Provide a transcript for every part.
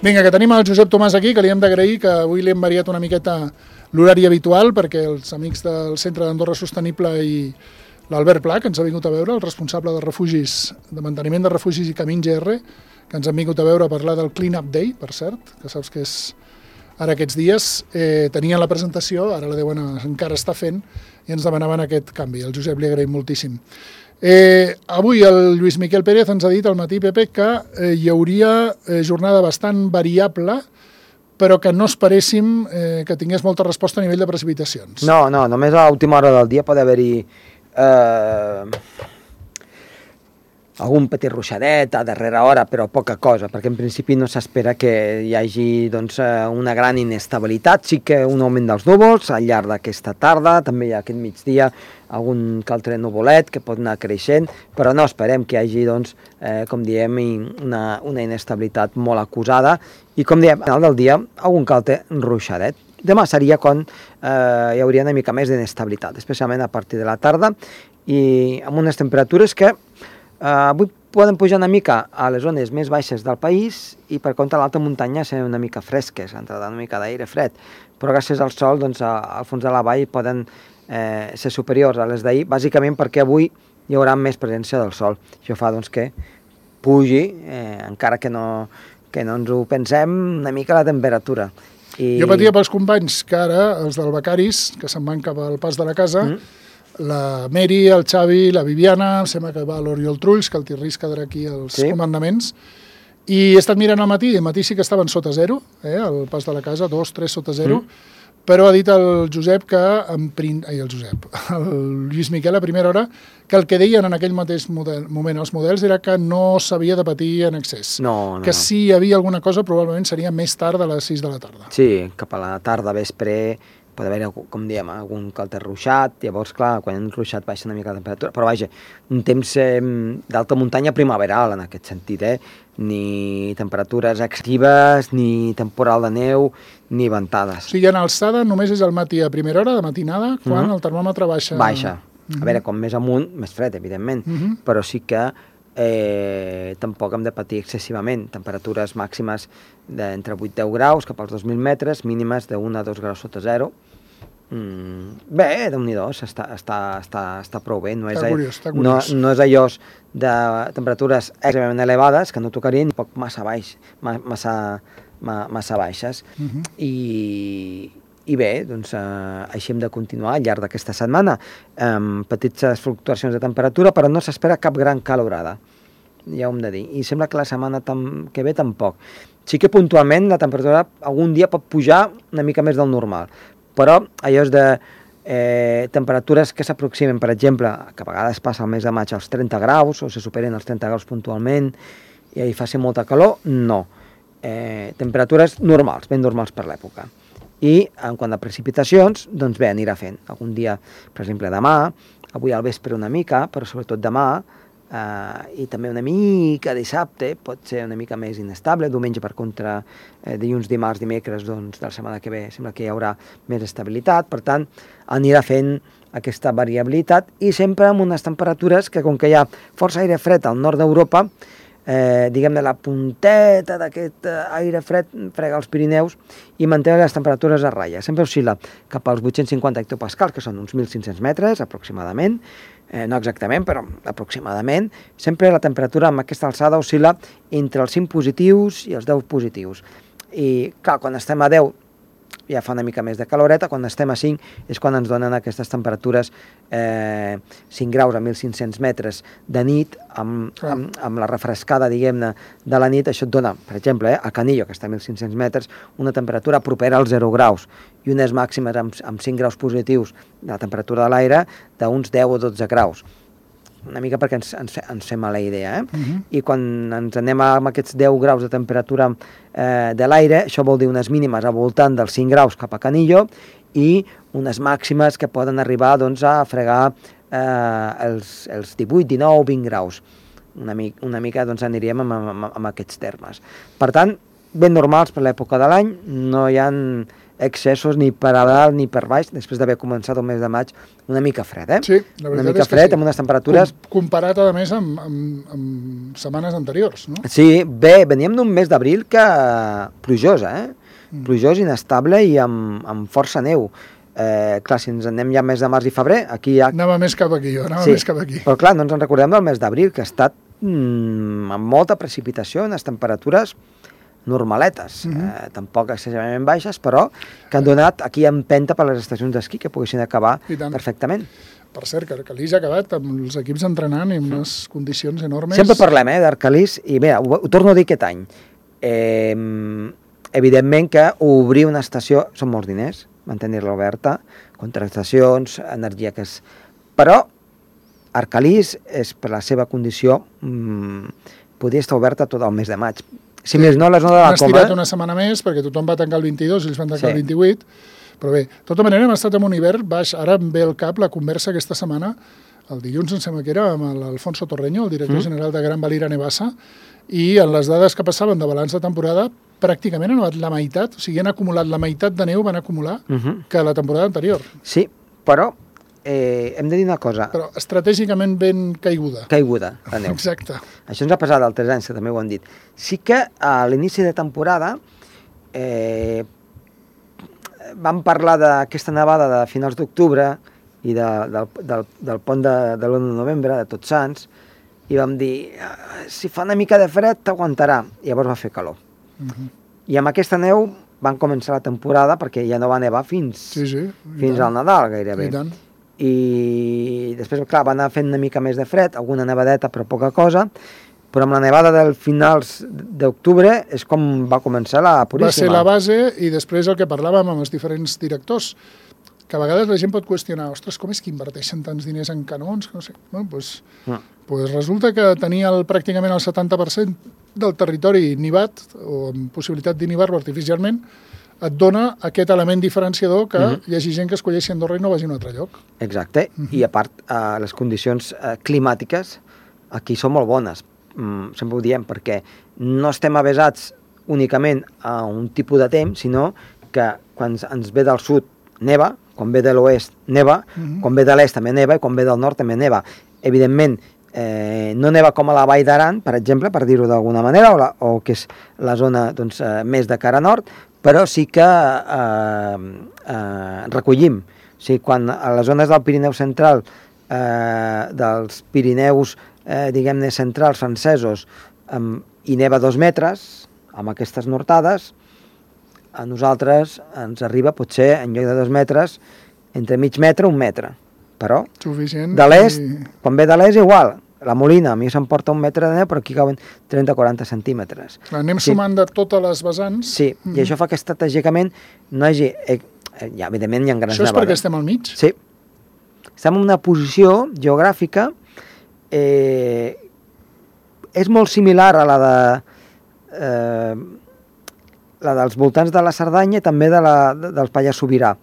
Vinga, que tenim el Josep Tomàs aquí, que li hem d'agrair que avui li hem variat una miqueta l'horari habitual, perquè els amics del Centre d'Andorra Sostenible i l'Albert Pla, que ens ha vingut a veure, el responsable de refugis, de manteniment de refugis i Camins GR, que ens han vingut a veure a parlar del Clean Up Day, per cert, que saps que és ara aquests dies, tenien la presentació, ara la deuen encara estar fent, i ens demanaven aquest canvi. El Josep li agraïm moltíssim. Avui el Lluís Miquel Pérez ens ha dit al matí, Pepe, que hi hauria jornada bastant variable, però que no esperéssim que tingués molta resposta a nivell de precipitacions. No, només a l'última hora del dia pot haver-hi algun petit ruixadet a darrera hora, però poca cosa, perquè en principi no s'espera que hi hagi una gran inestabilitat. Sí que un augment dels núvols al llarg d'aquesta tarda, també hi ha aquest migdia algun que altre nuvolet que pot anar creixent, però no esperem que hi hagi, com diem, una inestabilitat molt acusada i, com diem, al final del dia, algun que altre ruixadet. Demà seria quan hi hauria una mica més d'inestabilitat, especialment a partir de la tarda, i amb unes temperatures que avui poden pujar una mica a les zones més baixes del país i per contra l'alta muntanya ser una mica fresques, entrarà una mica d'aire fred, però gràcies al sol al fons de la vall poden ser superiors a les d'ahir, bàsicament perquè avui hi haurà més presència del sol. Això fa que pugi, encara que no ens ho pensem, una mica la temperatura. Jo patia pels companys que ara, els del Becaris, que se'n van cap al pas de la casa, la Meri, el Xavi, la Viviana, em sembla que va l'Oriol Trulls, que el Tirris quedarà aquí als comandaments, i he estat mirant al matí sí que estaven sota zero, al pas de la casa, 2, 3 sota zero, però ha dit el Josep que, el Lluís Miquel a primera hora, que el que deien en aquell mateix moment els models era que no s'havia de patir en excés. Que si hi havia alguna cosa probablement seria més tard de les 6 de la tarda. Sí, cap a la tarda, vespre, pot haver, com diem, algun que altre ruixat, llavors, clar, quan hi ha un ruixat baixa una mica la temperatura, però vaja, un temps d'alta muntanya primaveral en aquest sentit, ni temperatures actives, ni temporal de neu, ni ventades. O sigui, en alçada només és al matí a primera hora, de matinada, quan el termòmetre baixa. Baixa. A veure, com més amunt, més fred, evidentment, però sí que tampoc hem de patir excessivament. Temperatures màximes d'entre 8 i 10 graus cap als 2.000 metres, mínimes de 1 a 2 graus sota zero. Bé, Déu-n'hi-do, està prou bé. No és allò de temperatures extremadament elevades que no tocarien, ni poc massa baixes. I bé, així hem de continuar al llarg d'aquesta setmana, amb petites fluctuacions de temperatura, però no s'espera cap gran calorada, ja ho hem de dir. I sembla que la setmana que ve tampoc. Sí que puntualment la temperatura algun dia pot pujar una mica més del normal, però allò és de temperatures que s'aproximen, per exemple, que a vegades passa el mes de maig als 30 graus, o se superen els 30 graus puntualment, i hi faci molta calor, no. Temperatures normals, ben normals per l'època. I en quant a precipitacions, doncs bé, anirà fent. Algun dia, per exemple, demà, avui al vespre una mica, però sobretot demà, i també una mica dissabte, pot ser una mica més inestable, diumenge per contra, dilluns, dimarts, dimecres, doncs de la setmana que ve sembla que hi haurà més estabilitat, per tant, anirà fent aquesta variabilitat i sempre amb unes temperatures que, com que hi ha força aire fred al nord d'Europa, diguem-ne, la punteta d'aquest aire fred frega els Pirineus i manté les temperatures a ratlla. Sempre oscil·la cap als 850 hectopascals, que són uns 1.500 metres aproximadament, no exactament, però aproximadament. Sempre la temperatura amb aquesta alçada oscil·la entre els 5 positius i els 10 positius. I, clar, quan estem a 10 ja fa una mica més de caloreta, quan estem a 5 és quan ens donen aquestes temperatures 5 graus a 1.500 metres de nit, amb la refrescada, diguem-ne, de la nit, això et dona, per exemple, a Canillo, que està a 1.500 metres, una temperatura propera als 0 graus, i unes màximes amb 5 graus positius de la temperatura de l'aire d'uns 10 o 12 graus. Una mica perquè ens fem a la idea, I quan ens anem amb aquests 10 graus de temperatura de l'aire, això vol dir unes mínimes al voltant dels 5 graus cap a Canillo i unes màximes que poden arribar a fregar els 18, 19, 20 graus. Una mica aniríem amb aquests termes. Per tant, ben normals per l'època de l'any, no hi ha excessos ni per a dalt ni per baix, després d'haver començat el mes de maig una mica fred, Sí, la una veritat mica és que fred, sí. amb unes temperatures... Comparat, a més, amb setmanes anteriors, no? Sí, bé, veníem d'un mes d'abril que plujós, plujós, inestable i amb força neu. Clar, si ens anem ja al mes de març i febrer, aquí ja... Anava més cap aquí, jo, més cap aquí. Però clar, no ens en recordem del mes d'abril, que ha estat amb molta precipitació, unes temperatures normaletes, tampoc excessivament baixes, però que han donat aquí empenta per les estacions d'esquí que poguessin acabar perfectament. Per cert, que Arcalís ha acabat amb els equips entrenant i amb unes condicions enormes. Sempre parlem d'Arcalís, i bé, ho torno a dir aquest any. Evidentment que obrir una estació són molts diners, mantenir-la oberta, contractacions, energia que és... Però Arcalís és, per la seva condició, podria estar oberta tot el mes de maig. Si més no, la zona de la Coma... Han estirat una setmana més, perquè tothom va tancar el 22, ells van tancar el 28, però bé, de tota manera hem estat en un hivern baix. Ara em ve al cap la conversa aquesta setmana, el dilluns em sembla que era, amb l'Alfonso Torreño, el director general de Gran Valira Nevassa, i en les dades que passaven de balanç de temporada, pràcticament han nevat la meitat, o sigui, han acumulat la meitat de neu, van acumular, que la temporada anterior. Sí, però hem de dir una cosa. Però estratègicament ben caiguda. Caiguda, la neu. Exacte. Això ens ha passat altres anys, que també ho han dit. Sí que a l'inici de temporada vam parlar d'aquesta nevada de finals d'octubre i del pont de l'1 de novembre, de Tots Sants, i vam dir, si fa una mica de fred, t'aguantarà. I llavors va fer calor. I amb aquesta neu van començar la temporada, perquè ja no va nevar fins al Nadal, gairebé. I després, clar, va anar fent una mica més de fred, alguna nevadeta, però poca cosa, però amb la nevada del finals d'octubre és com va començar la Puríssima. Va ser la base, i després el que parlàvem amb els diferents directors, que a vegades la gent pot qüestionar, ostres, com és que inverteixen tants diners en canons? No sé. Bueno, pues resulta que tenia pràcticament el 70% del territori nivat, o amb possibilitat d'innivar-lo artificialment, et dona aquest element diferenciador que hi hagi gent que escolleixi Andorra i no vagi a un altre lloc. Exacte, i a part, les condicions climàtiques aquí són molt bones, sempre ho diem, perquè no estem avesats únicament a un tipus de temps, sinó que quan ens ve del sud neva, quan ve de l'oest neva, quan ve de l'est també neva i quan ve del nord també neva. Evidentment, no neva com a la Vall d'Aran, per exemple, per dir-ho d'alguna manera, o que és la zona més de cara nord, però sí que recollim. O sigui, quan a les zones del Pirineu central, dels Pirineus, diguem-ne, centrals francesos, hi neva 2 metres, amb aquestes nortades, a nosaltres ens arriba, potser, en lloc de 2 metres, entre mig metre, 1 metre. Però, de l'est, quan ve de l'est, igual. La Molina, a mi se'm porta 1 metre de neu, però aquí cauen 30-40 centímetres. Anem sumant de totes les vessants. Sí, i això fa que estratègicament no hi hagi... Ja, evidentment, hi ha grans nevades. Això és perquè estem al mig? Sí. Estem en una posició geogràfica és molt similar a la dels voltants de la Cerdanya i també del Pallars Sobirà.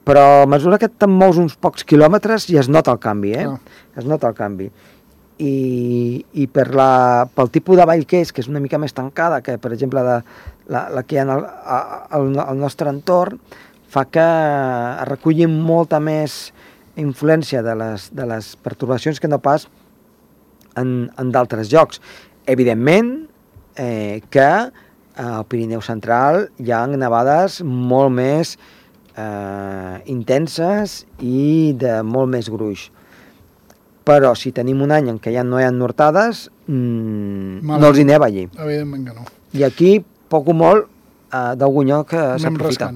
Però a mesura que te'n mous uns pocs quilòmetres ja es nota el canvi, Es nota el canvi. I pel tipus de vall que és una mica més tancada que, per exemple, la que hi ha al nostre entorn, fa que es reculli molta més influència de les pertorbacions que no pas en d'altres llocs. Evidentment que al Pirineu central hi ha nevades molt més intenses i de molt més gruix. Però si tenim un any en què ja no hi ha nortades, no els hi neva allí. Evidentment que no. I aquí, poc o molt, d'algun lloc s'aprofita.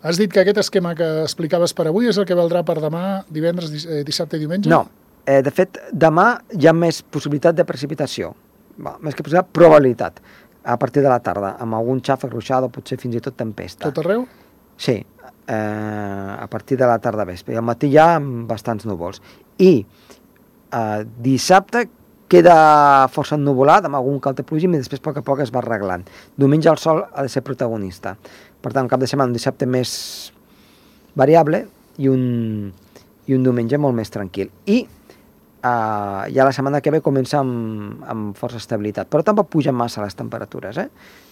Has dit que aquest esquema que explicaves per avui és el que valdrà per demà, divendres, dissabte i diumenge? No. De fet, demà hi ha més possibilitat de precipitació. Més que possibilitat, probabilitat. A partir de la tarda, amb algun xàfec, ruixada, potser fins i tot tempesta. Tot arreu? Sí, a partir de la tarda vespre. I al matí hi ha bastants núvols. I dissabte queda força ennuvolat, amb algun que altre plogim, i després a poc es va arreglant. Diumenge el sol ha de ser protagonista. Per tant, cap de setmana, un dissabte més variable i un diumenge molt més tranquil. I ja la setmana que ve comença amb força estabilitat, però tampoc pugen massa les temperatures,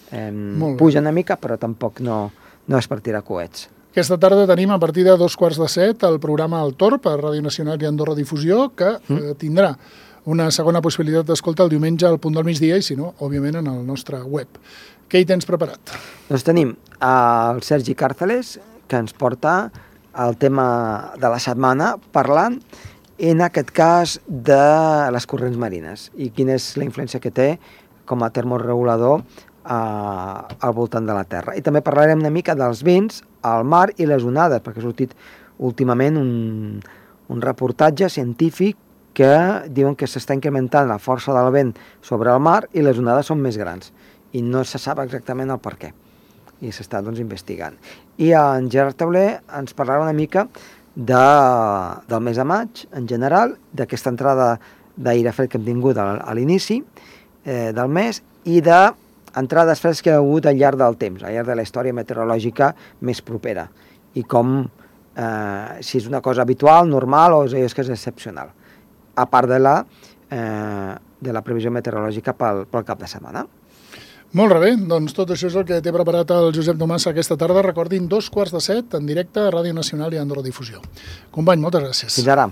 pugen una mica, però tampoc no no és per tirar coets. Aquesta tarda tenim a partir de 2:15 el programa El Torb a Ràdio Nacional i Andorra Difusió, que tindrà una segona possibilitat d'escolta el diumenge al punt del migdia i, si no, òbviament, en el nostre web. Què hi tens preparat? Doncs tenim el Sergi Càrceles, que ens porta el tema de la setmana, parlant, en aquest cas, de les corrents marines i quina és la influència que té com a termoregulador al voltant de la Terra. I també parlarem una mica dels vents, el mar i les onades, perquè ha sortit últimament un reportatge científic que diuen que s'està incrementant la força del vent sobre el mar i les onades són més grans i no se sap exactament el per què i s'està investigant. I en Gerard Tauler ens parlarà una mica del mes de maig en general, d'aquesta entrada d'aire fred que hem tingut a l'inici del mes i d'entrades freds que hi ha hagut al llarg del temps, al llarg de la història meteorològica més propera i com si és una cosa habitual, normal o és que és excepcional, a part de la previsió meteorològica pel cap de setmana. Molt bé, doncs tot això és el que té preparat el Josep Domassa aquesta tarda. Recordin, 2:15 en directe a Ràdio Nacional i Andorra Difusió. Company, moltes gràcies. Fins ara.